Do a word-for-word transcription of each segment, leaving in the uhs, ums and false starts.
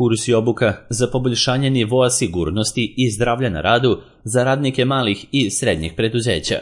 Kurs i obuka za poboljšanje nivoa sigurnosti i zdravlja na radu za radnike malih i srednjih preduzeća.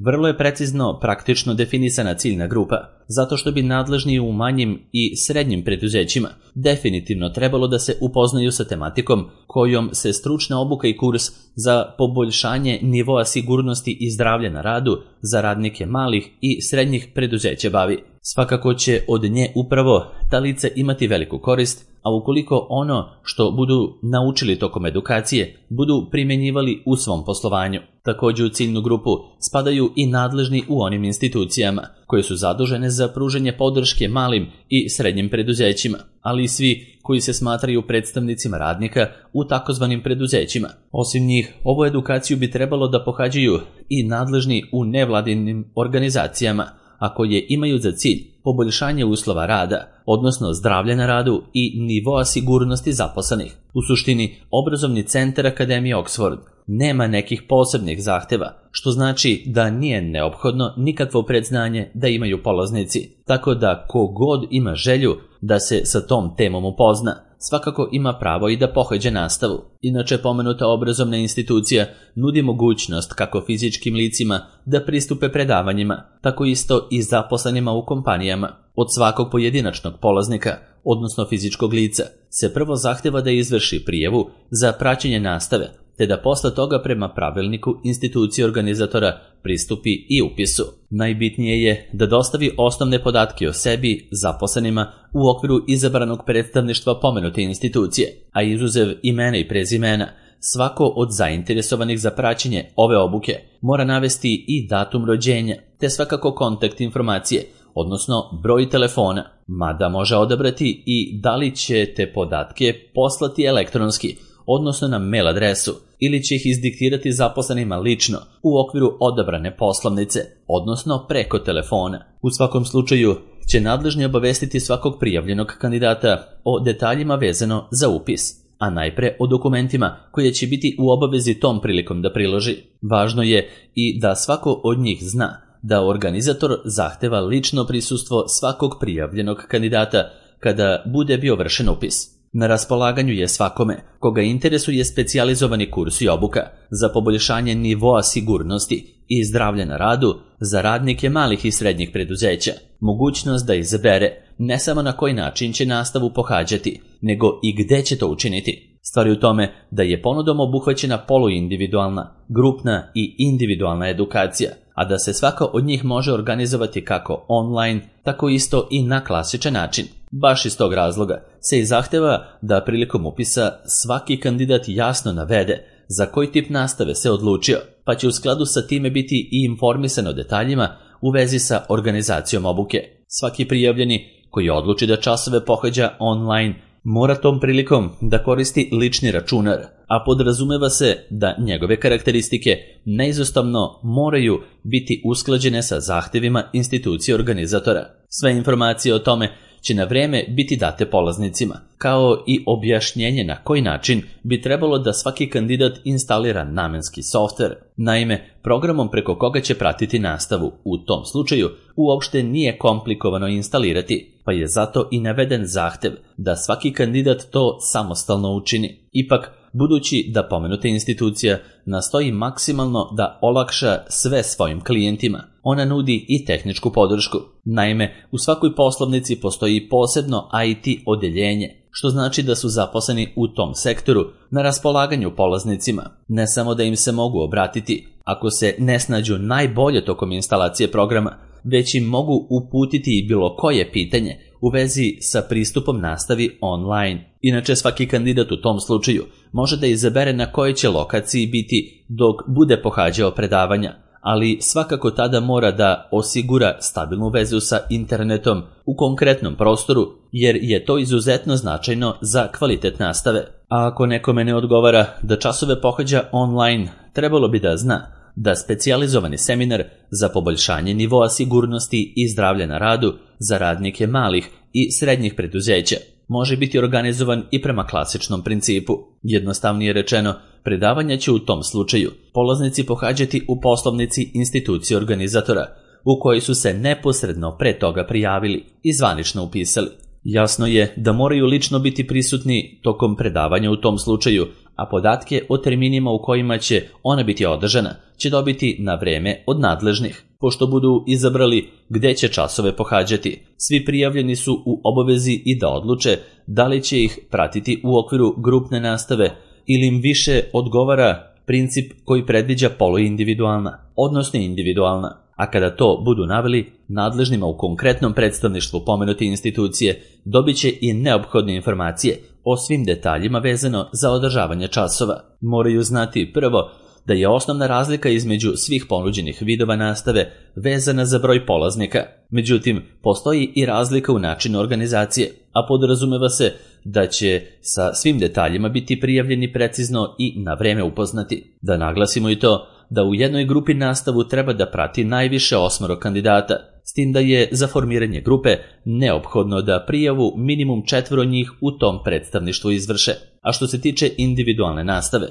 Vrlo je precizno praktično definisana ciljna grupa, zato što bi nadležni u manjim i srednjim preduzećima definitivno trebalo da se upoznaju sa tematikom kojom se stručna obuka i kurs za poboljšanje nivoa sigurnosti i zdravlja na radu za radnike malih i srednjih preduzeća bavi. Svakako će od nje upravo ta lica imati veliku korist, a ukoliko ono što budu naučili tokom edukacije budu primjenjivali u svom poslovanju. Također u ciljnu grupu spadaju i nadležni u onim institucijama koje su zadužene za pružanje podrške malim i srednjim preduzećima, ali i svi koji se smatraju predstavnicima radnika u takozvanim preduzećima. Osim njih, ovu edukaciju bi trebalo da pohađaju i nadležni u nevladinim organizacijama, a koje imaju za cilj poboljšanje uslova rada, odnosno zdravlja na radu i nivoa sigurnosti zaposlenih. U suštini, obrazovni centar Akademije Oxford nema nekih posebnih zahteva, što znači da nije neophodno nikakvo predznanje da imaju polaznici, tako da ko god ima želju da se sa tom temom upozna, svakako ima pravo i da pohađa nastavu. Inače, pomenuta obrazovna institucija nudi mogućnost kako fizičkim licima da pristupe predavanjima, tako isto i zaposlenima u kompanijama. Od svakog pojedinačnog polaznika, odnosno fizičkog lica, se prvo zahteva da izvrši prijavu za praćenje nastave, te da posle toga prema pravilniku institucije organizatora pristupi i upisu. Najbitnije je da dostavi osnovne podatke o sebi zaposlenima u okviru izabranog predstavništva pomenute institucije, a izuzev imena i prezimena, svako od zainteresovanih za praćenje ove obuke mora navesti i datum rođenja, te svakako kontakt informacije, odnosno broj telefona, mada može odabrati i da li će te podatke poslati elektronski, odnosno na mail adresu, ili će ih izdiktirati zaposlenima lično u okviru odabrane poslovnice, odnosno preko telefona. U svakom slučaju će nadležni obavestiti svakog prijavljenog kandidata o detaljima vezano za upis, a najpre o dokumentima koje će biti u obavezi tom prilikom da priloži. Važno je i da svako od njih zna da organizator zahteva lično prisustvo svakog prijavljenog kandidata kada bude bio vršen upis. Na raspolaganju je svakome koga interesuje specijalizovani kurs i obuka za poboljšanje nivoa sigurnosti i zdravlja na radu za radnike malih i srednjih preduzeća. Mogućnost da izabere ne samo na koji način će nastavu pohađati, nego i gde će to učiniti. Stvar je u tome da je ponudom obuhvaćena poluindividualna, grupna i individualna edukacija, a da se svaka od njih može organizovati kako online, tako isto i na klasičan način. Baš iz tog razloga se i zahteva da prilikom upisa svaki kandidat jasno navede za koji tip nastave se odlučio, pa će u skladu sa time biti i informisan o detaljima u vezi sa organizacijom obuke. Svaki prijavljeni koji odluči da časove pohađa online mora tom prilikom da koristi lični računar, a podrazumeva se da njegove karakteristike neizostavno moraju biti usklađene sa zahtevima institucije organizatora. Sve informacije o tome će na vreme biti date polaznicima, kao i objašnjenje na koji način bi trebalo da svaki kandidat instalira namenski softver. Naime, programom preko koga će pratiti nastavu u tom slučaju uopšte nije komplikovano instalirati, pa je zato i naveden zahtev da svaki kandidat to samostalno učini. Ipak, budući da pomenuta institucija nastoji maksimalno da olakša sve svojim klijentima, ona nudi i tehničku podršku. Naime, u svakoj poslovnici postoji posebno I T odeljenje, što znači da su zaposleni u tom sektoru na raspolaganju polaznicima. Ne samo da im se mogu obratiti ako se ne snađu najbolje tokom instalacije programa, već im mogu uputiti i bilo koje pitanje u vezi sa pristupom nastavi online. Inače, svaki kandidat u tom slučaju može da izabere na kojoj će lokaciji biti dok bude pohađao predavanja, ali svakako tada mora da osigura stabilnu vezu sa internetom u konkretnom prostoru, jer je to izuzetno značajno za kvalitet nastave. A ako nekome ne odgovara da časove pohađa online, trebalo bi da zna da specijalizovani seminar za poboljšanje nivoa sigurnosti i zdravlja na radu za radnike malih i srednjih preduzeća može biti organizovan i prema klasičnom principu. Jednostavnije rečeno, predavanja će u tom slučaju polaznici pohađati u poslovnici institucije organizatora, u kojoj su se neposredno pre toga prijavili i zvanično upisali. Jasno je da moraju lično biti prisutni tokom predavanja u tom slučaju, a podatke o terminima u kojima će ona biti održana će dobiti na vreme od nadležnih. Pošto budu izabrali gde će časove pohađati, svi prijavljeni su u obavezi i da odluče da li će ih pratiti u okviru grupne nastave ili im više odgovara princip koji predviđa poluindividualna, odnosno individualna. A kada to budu naveli, nadležnima u konkretnom predstavništvu pomenute institucije dobit će i neophodne informacije o svim detaljima vezano za održavanje časova. Moraju znati prvo da je osnovna razlika između svih ponuđenih vidova nastave vezana za broj polaznika. Međutim, postoji i razlika u načinu organizacije, a podrazumeva se da će sa svim detaljima biti prijavljeni precizno i na vreme upoznati. Da naglasimo i to da u jednoj grupi nastavu treba da prati najviše osmoro kandidata, s tim da je za formiranje grupe neophodno da prijavu minimum četvoro njih u tom predstavništvu izvrše. A što se tiče individualne nastave,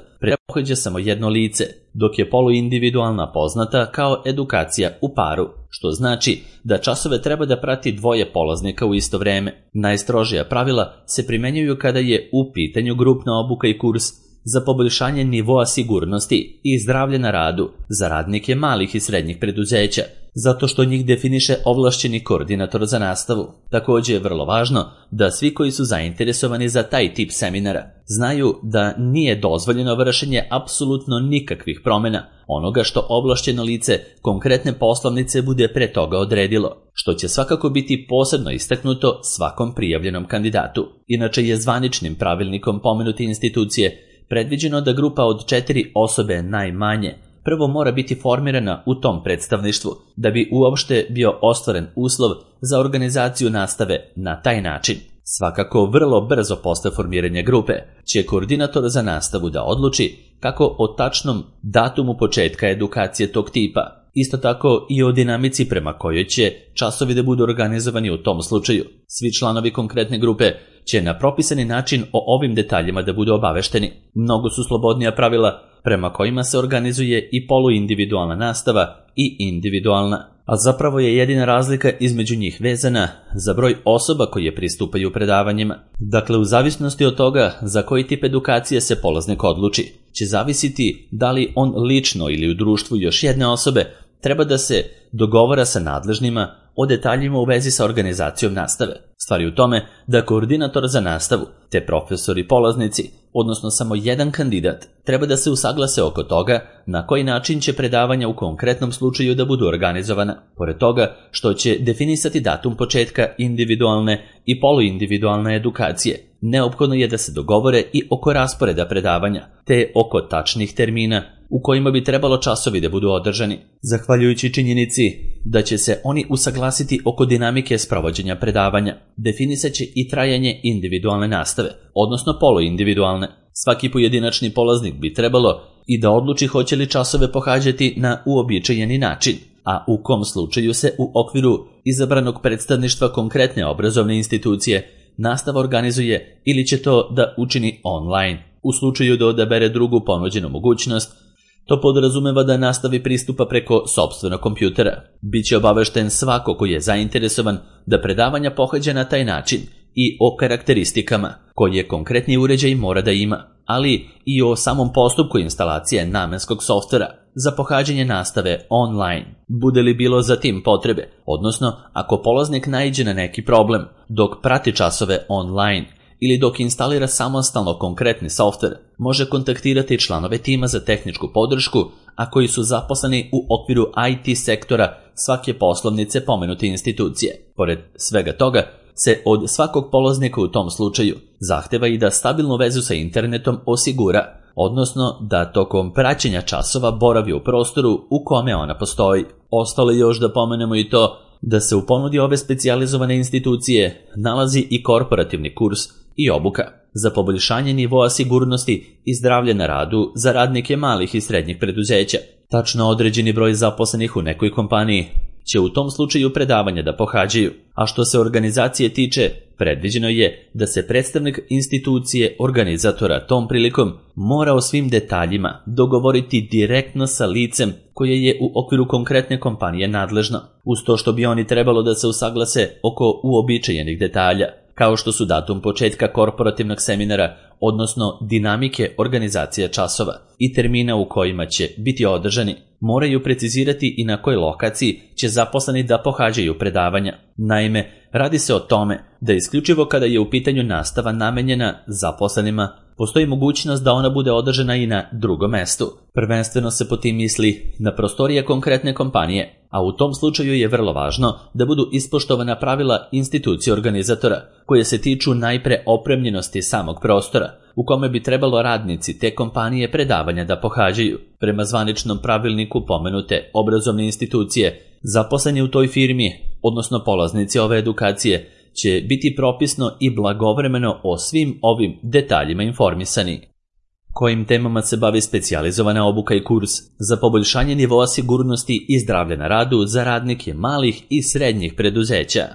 pohađa samo jedno lice, dok je poluindividualna poznata kao edukacija u paru, što znači da časove treba da prati dvoje polaznika u isto vreme. Najstrožija pravila se primenjuju kada je u pitanju grupna obuka i kurs za poboljšanje nivoa sigurnosti i zdravlja na radu za radnike malih i srednjih preduzeća, zato što njih definiše ovlašćeni koordinator za nastavu. Također je vrlo važno da svi koji su zainteresovani za taj tip seminara znaju da nije dozvoljeno vršenje apsolutno nikakvih promjena onoga što ovlašćeno lice konkretne poslovnice bude pre toga odredilo, što će svakako biti posebno istaknuto svakom prijavljenom kandidatu. Inače je zvaničnim pravilnikom pomenute institucije predviđeno da grupa od četiri osobe najmanje prvo mora biti formirana u tom predstavništvu da bi uopšte bio ostvaren uslov za organizaciju nastave na taj način. Svakako vrlo brzo posle formiranja grupe će koordinator za nastavu da odluči kako o tačnom datumu početka edukacije tog tipa, isto tako i o dinamici prema kojoj će časovi da budu organizovani u tom slučaju. Svi članovi konkretne grupe će na propisani način o ovim detaljima da budu obavešteni. Mnogo su slobodnija pravila prema kojima se organizuje i poluindividualna nastava i individualna, a zapravo je jedina razlika između njih vezana za broj osoba koje pristupaju predavanjima. Dakle, u zavisnosti od toga za koji tip edukacije se polaznik odluči, će zavisiti da li on lično ili u društvu još jedne osobe treba da se dogovara sa nadležnima o detaljima u vezi sa organizacijom nastave. Stvar je u tome da koordinator za nastavu, te profesori i polaznici, odnosno samo jedan kandidat, treba da se usaglase oko toga na koji način će predavanja u konkretnom slučaju da budu organizovana. Pored toga što će definisati datum početka individualne i poluindividualne edukacije, neophodno je da se dogovore i oko rasporeda predavanja, te oko tačnih termina u kojima bi trebalo časovi da budu održani. Zahvaljujući činjenici da će se oni usaglasiti oko dinamike sprovođenja predavanja, definisat će i trajanje individualne nastave, odnosno poluindividualne. Svaki pojedinačni polaznik bi trebalo i da odluči hoće li časove pohađati na uobičajeni način, a u kom slučaju se u okviru izabranog predstavništva konkretne obrazovne institucije nastava organizuje ili će to da učini online. U slučaju da odabere drugu ponuđenu mogućnost, to podrazumeva da nastavi pristupa preko sopstvenog kompjutera. Biće obavešten svako koji je zainteresovan da predavanja pohađa na taj način i o karakteristikama koje konkretni uređaj mora da ima, ali i o samom postupku instalacije namenskog softvera za pohađanje nastave online. Bude li bilo za tim potrebe, odnosno ako polaznik naiđe na neki problem dok prati časove online ili dok instalira samostalno konkretni softver, može kontaktirati članove tima za tehničku podršku, a koji su zaposleni u okviru I T sektora svake poslovnice pomenute institucije. Pored svega toga se od svakog polaznika u tom slučaju zahteva i da stabilnu vezu sa internetom osigura, odnosno da tokom praćenja časova boravi u prostoru u kome ona postoji. Ostalo je još da pomenemo i to da se u ponudi ove specijalizovane institucije nalazi i korporativni kurs i obuka za poboljšanje nivoa sigurnosti i zdravlja na radu za radnike malih i srednjih preduzeća. Tačno određeni broj zaposlenih u nekoj kompaniji će u tom slučaju predavanja da pohađaju, a što se organizacije tiče, predviđeno je da se predstavnik institucije organizatora tom prilikom mora o svim detaljima dogovoriti direktno sa licem koje je u okviru konkretne kompanije nadležno, uz to što bi oni trebalo da se usaglase oko uobičajenih detalja. kao što su datum početka korporativnog seminara, odnosno dinamike organizacije časova i termina u kojima će biti održani. Moraju precizirati i na kojoj lokaciji će zaposleni da pohađaju predavanja. Naime, radi se o tome da isključivo kada je u pitanju nastava namenjena zaposlenima, postoji mogućnost da ona bude održana i na drugom mestu. Prvenstveno se po tim misli na prostorije konkretne kompanije, a u tom slučaju je vrlo važno da budu ispoštovana pravila institucije organizatora, koje se tiču najpre opremljenosti samog prostora, u kome bi trebalo radnici te kompanije predavanja da pohađaju. Prema zvaničnom pravilniku pomenute obrazovne institucije, zaposleni u toj firmi, odnosno polaznici ove edukacije, će biti propisno i blagovremeno o svim ovim detaljima informisani. Kojim temama se bavi specijalizovana obuka i kurs za poboljšanje nivoa sigurnosti i zdravlja na radu za radnike malih i srednjih preduzeća?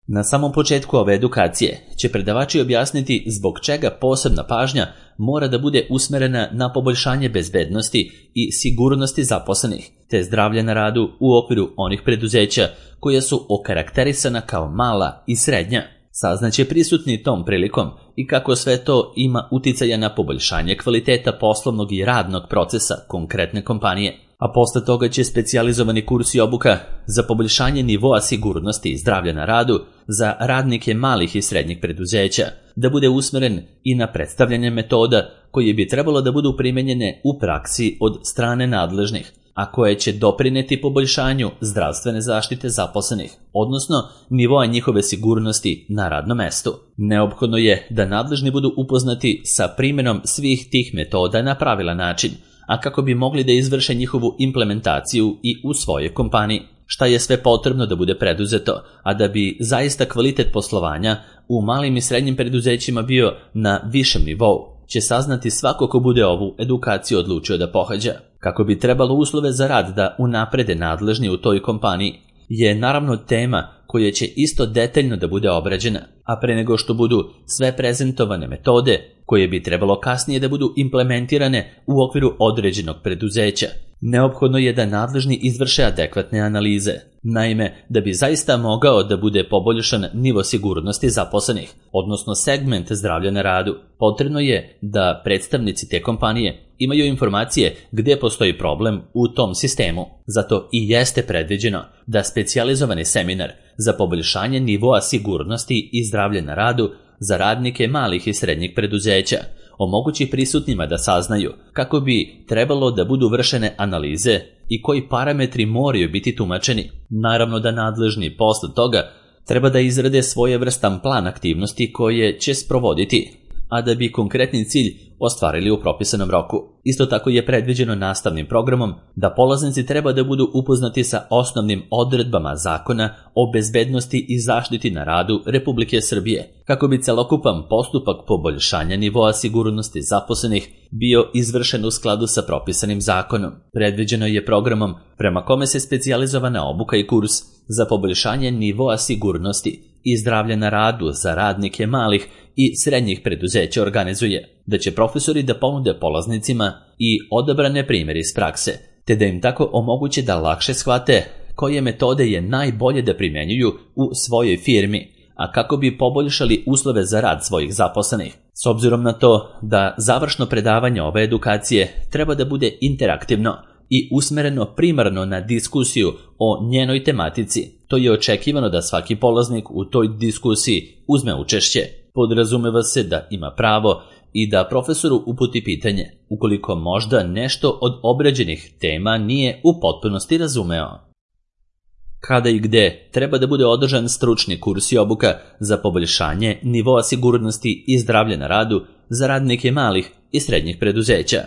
Na samom početku ove edukacije će predavači objasniti zbog čega posebna pažnja mora da bude usmerena na poboljšanje bezbednosti i sigurnosti zaposlenih, te zdravlja na radu u okviru onih preduzeća koja su okarakterisana kao mala i srednja. Saznaće prisutni tom prilikom i kako sve to ima uticaja na poboljšanje kvaliteta poslovnog i radnog procesa konkretne kompanije, a posle toga će specijalizovani kurs i obuka za poboljšanje nivoa sigurnosti i zdravlja na radu za radnike malih i srednjih preduzeća da bude usmeren i na predstavljanje metoda koje bi trebalo da budu primenjene u praksi od strane nadležnih, a koje će doprineti poboljšanju zdravstvene zaštite zaposlenih, odnosno nivoa njihove sigurnosti na radnom mestu. Neophodno je da nadležni budu upoznati sa primjenom svih tih metoda na pravilan način, a kako bi mogli da izvrše njihovu implementaciju i u svojoj kompaniji. Šta je sve potrebno da bude preduzeto, a da bi zaista kvalitet poslovanja u malim i srednjim preduzećima bio na višem nivou, će saznati svako ko bude ovu edukaciju odlučio da pohađa. Kako bi trebalo uslove za rad da unaprede nadležni u toj kompaniji, je naravno tema koja će isto detaljno da bude obrađena, a pre nego što budu sve prezentovane metode koje bi trebalo kasnije da budu implementirane u okviru određenog preduzeća, neophodno je da nadležni izvrše adekvatne analize. Naime, da bi zaista mogao da bude poboljšan nivo sigurnosti zaposlenih, odnosno segment zdravlja na radu, potrebno je da predstavnici te kompanije imaju informacije gde postoji problem u tom sistemu. Zato i jeste predviđeno da specijalizovani seminar za poboljšanje nivoa sigurnosti i zdravlja na radu za radnike malih i srednjih preduzeća omogući prisutnima da saznaju kako bi trebalo da budu vršene analize i koji parametri moraju biti tumačeni. Naravno da nadležni posle toga treba da izrade svojevrstan plan aktivnosti koje će sprovoditi, a da bi konkretni cilj ostvarili u propisanom roku. Isto tako je predviđeno nastavnim programom da polaznici treba da budu upoznati sa osnovnim odredbama zakona o bezbednosti i zaštiti na radu Republike Srbije, kako bi celokupan postupak poboljšanja nivoa sigurnosti zaposlenih bio izvršen u skladu sa propisanim zakonom. Predviđeno je programom prema kome se specijalizovana obuka i kurs za poboljšanje nivoa sigurnosti i zdravlja na radu za radnike malih i srednjih preduzeća organizuje, da će profesori da ponude polaznicima i odabrane primjere iz prakse, te da im tako omoguće da lakše shvate koje metode je najbolje da primenjuju u svojoj firmi, a kako bi poboljšali uslove za rad svojih zaposlenih. S obzirom na to da završno predavanje ove edukacije treba da bude interaktivno i usmereno primarno na diskusiju o njenoj tematici, to je očekivano da svaki polaznik u toj diskusiji uzme učešće. Podrazumeva se da ima pravo i da profesoru uputi pitanje, ukoliko možda nešto od obrađenih tema nije u potpunosti razumeo. Kada i gde treba da bude održan stručni kurs i obuka za poboljšanje nivoa sigurnosti i zdravlja na radu za radnike malih i srednjih preduzeća?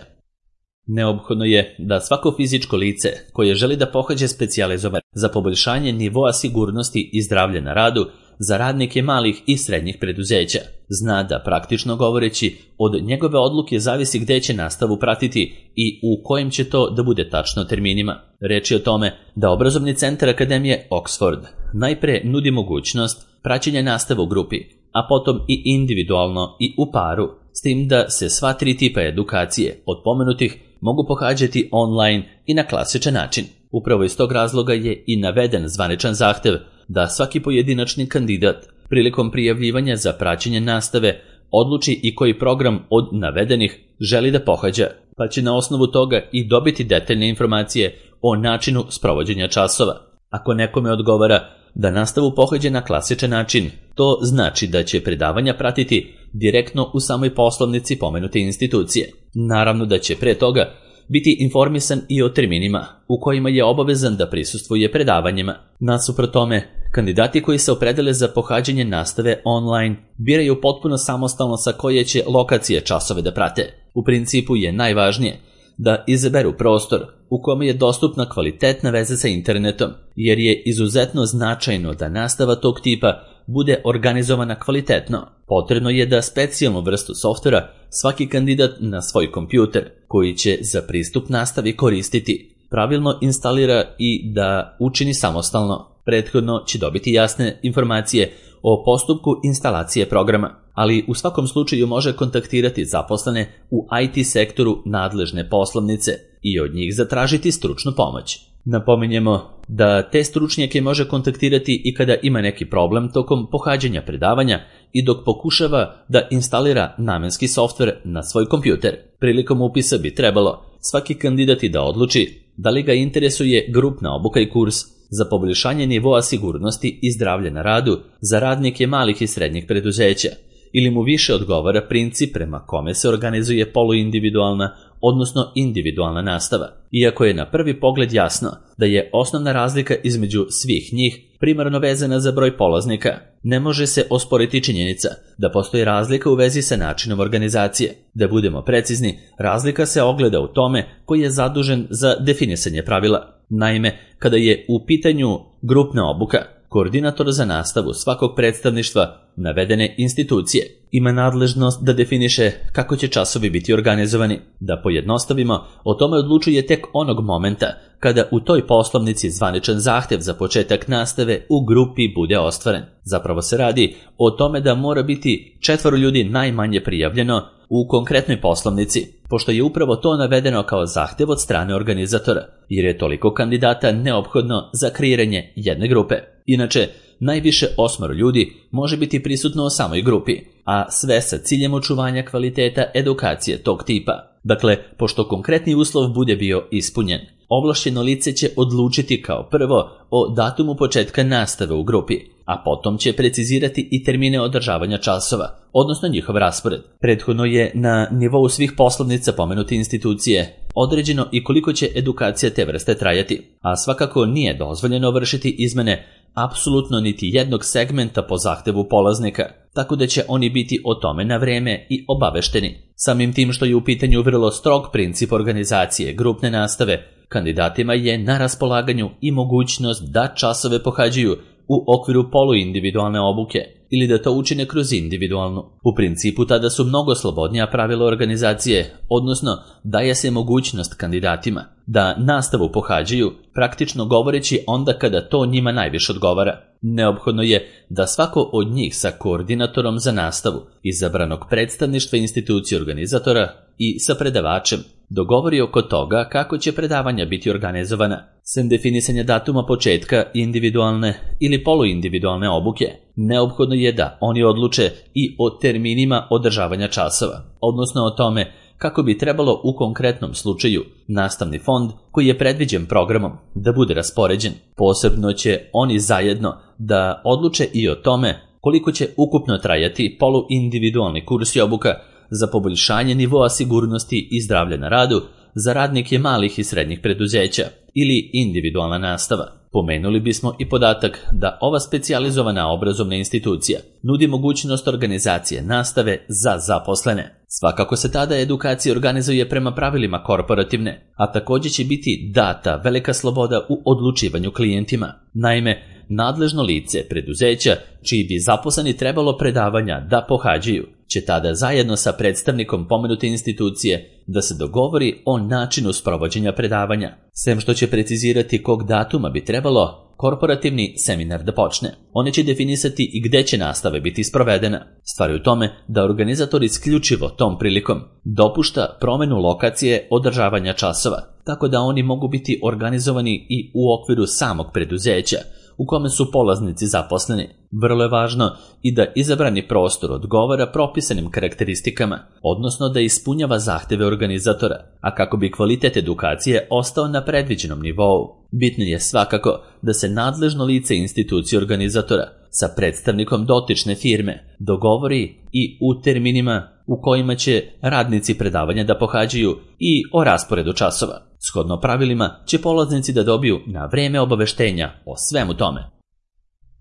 Neophodno je da svako fizičko lice koje želi da pohađa specijalizovan za poboljšanje nivoa sigurnosti i zdravlja na radu za radnike malih i srednjih preduzeća zna da, praktično govoreći, od njegove odluke zavisi gde će nastavu pratiti i u kojem će to da bude tačno terminima. Reč je o tome da obrazovni centar Akademije Oxford najpre nudi mogućnost praćenja nastave u grupi, a potom i individualno i u paru, s tim da se sva tri tipa edukacije od pomenutih mogu pohađati online i na klasičan način. Upravo iz tog razloga je i naveden zvaničan zahtev da svaki pojedinačni kandidat prilikom prijavljivanja za praćenje nastave odluči i koji program od navedenih želi da pohađa, pa će na osnovu toga i dobiti detaljne informacije o načinu sprovođenja časova. Ako nekome odgovara da nastavu pohađa na klasičan način, to znači da će predavanja pratiti direktno u samoj poslovnici pomenute institucije. Naravno da će pre toga biti informisan i o terminima u kojima je obavezan da prisustvuje predavanjima. Nasuprot tome, kandidati koji se opredele za pohađanje nastave online biraju potpuno samostalno sa koje će lokacije časove da prate. U principu je najvažnije da izaberu prostor u kome je dostupna kvalitetna veza sa internetom, jer je izuzetno značajno da nastava tog tipa bude organizovana kvalitetno. Potrebno je da specijalnu vrstu softvera svaki kandidat na svoj kompjuter, koji će za pristup nastavi koristiti, pravilno instalira i da učini samostalno. Prethodno će dobiti jasne informacije o postupku instalacije programa, ali u svakom slučaju može kontaktirati zaposlene u I T sektoru nadležne poslovnice i od njih zatražiti stručnu pomoć. Napominjemo da te stručnjake može kontaktirati i kada ima neki problem tokom pohađanja predavanja i dok pokušava da instalira namenski softver na svoj kompjuter. Prilikom upisa bi trebalo svaki kandidat da odluči da li ga interesuje grupna obuka i kurs za poboljšanje nivoa sigurnosti i zdravlja na radu za radnike malih i srednjih preduzeća, ili mu više odgovara princip prema kome se organizuje poluindividualna, odnosno individualna nastava. Iako je na prvi pogled jasno da je osnovna razlika između svih njih primarno vezana za broj polaznika, ne može se osporiti činjenica da postoji razlika u vezi sa načinom organizacije. Da budemo precizni, razlika se ogleda u tome koji je zadužen za definisanje pravila. Naime, kada je u pitanju grupna obuka, koordinator za nastavu svakog predstavništva navedene institucije ima nadležnost da definiše kako će časovi biti organizovani. Da pojednostavimo, o tome odlučuje tek onog momenta kada u toj poslovnici zvaničan zahtev za početak nastave u grupi bude ostvaren. Zapravo se radi o tome da mora biti četvoro ljudi najmanje prijavljeno u konkretnoj poslovnici, pošto je upravo to navedeno kao zahtev od strane organizatora, jer je toliko kandidata neophodno za kreiranje jedne grupe. Inače, najviše osmoro ljudi može biti prisutno u samoj grupi, a sve sa ciljem očuvanja kvaliteta edukacije tog tipa. Dakle, pošto konkretni uslov bude bio ispunjen, ovlašćeno lice će odlučiti kao prvo o datumu početka nastave u grupi, a potom će precizirati i termine održavanja časova, odnosno njihov raspored. Prethodno je na nivou svih poslovnica pomenute institucije određeno i koliko će edukacija te vrste trajati, a svakako nije dozvoljeno vršiti izmene apsolutno niti jednog segmenta po zahtevu polaznika, tako da će oni biti o tome na vreme i obavešteni. Samim tim što je u pitanju vrlo strog princip organizacije grupne nastave, kandidatima je na raspolaganju i mogućnost da časove pohađaju u okviru poluindividualne obuke ili da to učine kroz individualnu. U principu tada su mnogo slobodnija pravila organizacije, odnosno daje se mogućnost kandidatima da nastavu pohađaju, praktično govoreći onda kada to njima najviše odgovara. Neophodno je da svako od njih sa koordinatorom za nastavu, izabranog predstavništva institucije organizatora i sa predavačem dogovori oko toga kako će predavanja biti organizovana. Sem definisanja datuma početka individualne ili poluindividualne obuke, neophodno je da oni odluče i o terminima održavanja časova, odnosno o tome kako bi trebalo u konkretnom slučaju nastavni fond koji je predviđen programom da bude raspoređen. Posebno će oni zajedno da odluče i o tome koliko će ukupno trajati poluindividualni kurs i obuka za poboljšanje nivoa sigurnosti i zdravlja na radu za radnike malih i srednjih preduzeća ili individualna nastava. Pomenuli bismo i podatak da ova specijalizovana obrazovna institucija nudi mogućnost organizacije nastave za zaposlene. Svakako se tada edukacija organizuje prema pravilima korporativne, a također će biti data velika sloboda u odlučivanju klijentima. Naime, nadležno lice preduzeća čiji bi zaposleni trebalo predavanja da pohađaju će tada zajedno sa predstavnikom pomenute institucije da se dogovori o načinu sprovođenja predavanja, sem što će precizirati kog datuma bi trebalo korporativni seminar da počne. Oni će definisati i gde će nastava biti sprovedena. Stvar je u tome da organizator isključivo tom prilikom dopušta promenu lokacije održavanja časova, tako da oni mogu biti organizovani i u okviru samog preduzeća, u kome su polaznici zaposleni. Vrlo je važno i da izabrani prostor odgovara propisanim karakteristikama, odnosno da ispunjava zahteve organizatora, a kako bi kvalitet edukacije ostao na predviđenom nivou. Bitno je svakako da se nadležno lice institucije organizatora sa predstavnikom dotične firme dogovori i u terminima u kojima će radnici predavanja da pohađaju i o rasporedu časova. Shodno pravilima će polaznici da dobiju na vreme obaveštenja o svemu tome.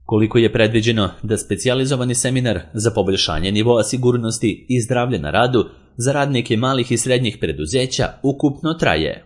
Koliko je predviđeno da specijalizovani seminar za poboljšanje nivoa sigurnosti i zdravlja na radu za radnike malih i srednjih preduzeća ukupno traje?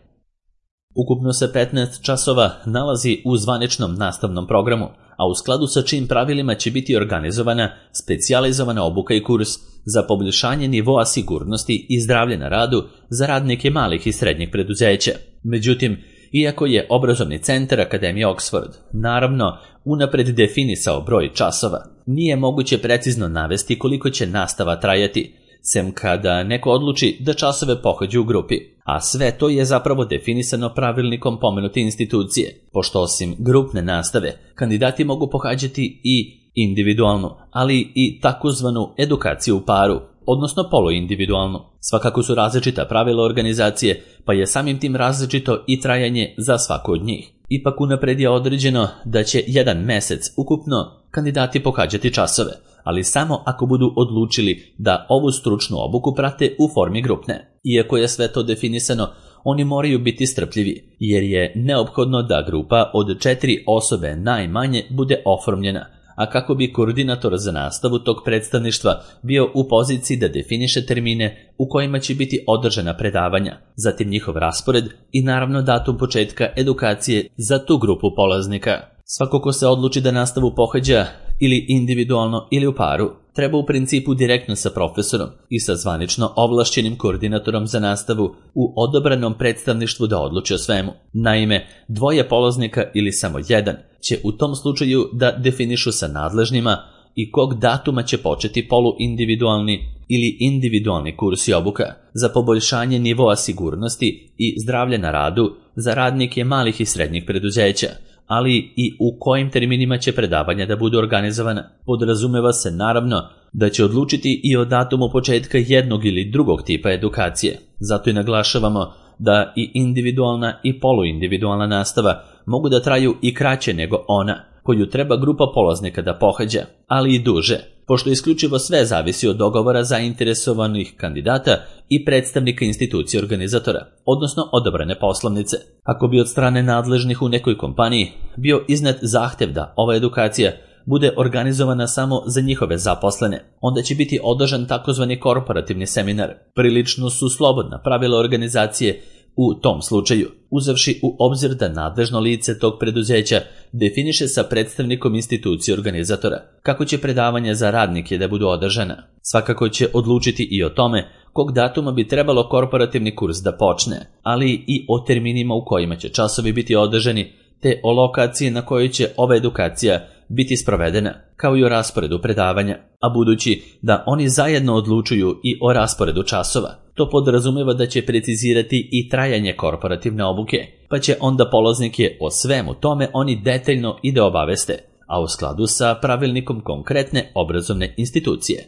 Ukupno se petnaest časova nalazi u zvaničnom nastavnom programu, a u skladu sa čijim pravilima će biti organizovana specijalizovana obuka i kurs za poboljšanje nivoa sigurnosti i zdravlja na radu za radnike malih i srednjih preduzeća. Međutim, iako je obrazovni centar Akademije Oxford naravno unapred definisao broj časova, nije moguće precizno navesti koliko će nastava trajati, sem kada neko odluči da časove pohađa u grupi, a sve to je zapravo definisano pravilnikom pomenute institucije, pošto osim grupne nastave, kandidati mogu pohađati i individualnu, ali i takozvanu edukaciju u paru, odnosno poluindividualnu. Svakako su različita pravila organizacije, pa je samim tim različito i trajanje za svaku od njih. Ipak unapred je određeno da će jedan mesec ukupno kandidati pohađati časove, ali samo ako budu odlučili da ovu stručnu obuku prate u formi grupne. Iako je sve to definisano, oni moraju biti strpljivi, jer je neophodno da grupa od četiri osobe najmanje bude oformljena, a kako bi koordinator za nastavu tog predstavništva bio u poziciji da definiše termine u kojima će biti održana predavanja, zatim njihov raspored i naravno datum početka edukacije za tu grupu polaznika. Svako ko se odluči da nastavu pohađa ili individualno ili u paru, treba u principu direktno sa profesorom i sa zvanično ovlašćenim koordinatorom za nastavu u odabranom predstavništvu da odluči o svemu. Naime, dvoje polaznika ili samo jedan će u tom slučaju da definišu sa nadležnima i kog datuma će početi poluindividualni ili individualni kurs i obuka za poboljšanje nivoa sigurnosti i zdravlja na radu za radnike malih i srednjih preduzeća, ali i u kojim terminima će predavanja da budu organizovana. Podrazumeva se naravno da će odlučiti i o datumu početka jednog ili drugog tipa edukacije. Zato i naglašavamo da i individualna i poluindividualna nastava mogu da traju i kraće nego ona koju treba grupa polaznika da pohađa, ali i duže, pošto isključivo sve zavisi od dogovora zainteresovanih kandidata i predstavnika institucije organizatora, odnosno odabrane poslovnice. Ako bi od strane nadležnih u nekoj kompaniji bio iznet zahtev da ova edukacija bude organizovana samo za njihove zaposlene, onda će biti održan takozvani korporativni seminar. Prilično su slobodna pravila organizacije u tom slučaju, uzevši u obzir da nadležno lice tog preduzeća definiše sa predstavnikom institucije organizatora kako će predavanja za radnike da budu održana. Svakako će odlučiti i o tome kog datuma bi trebalo korporativni kurs da počne, ali i o terminima u kojima će časovi biti održani, te o lokaciji na kojoj će ova edukacija biti sprovedena, kao i o rasporedu predavanja. A budući da oni zajedno odlučuju i o rasporedu časova, to podrazumeva da će precizirati i trajanje korporativne obuke, pa će onda polaznike o svemu tome oni detaljno i da obaveste, a u skladu sa pravilnikom konkretne obrazovne institucije.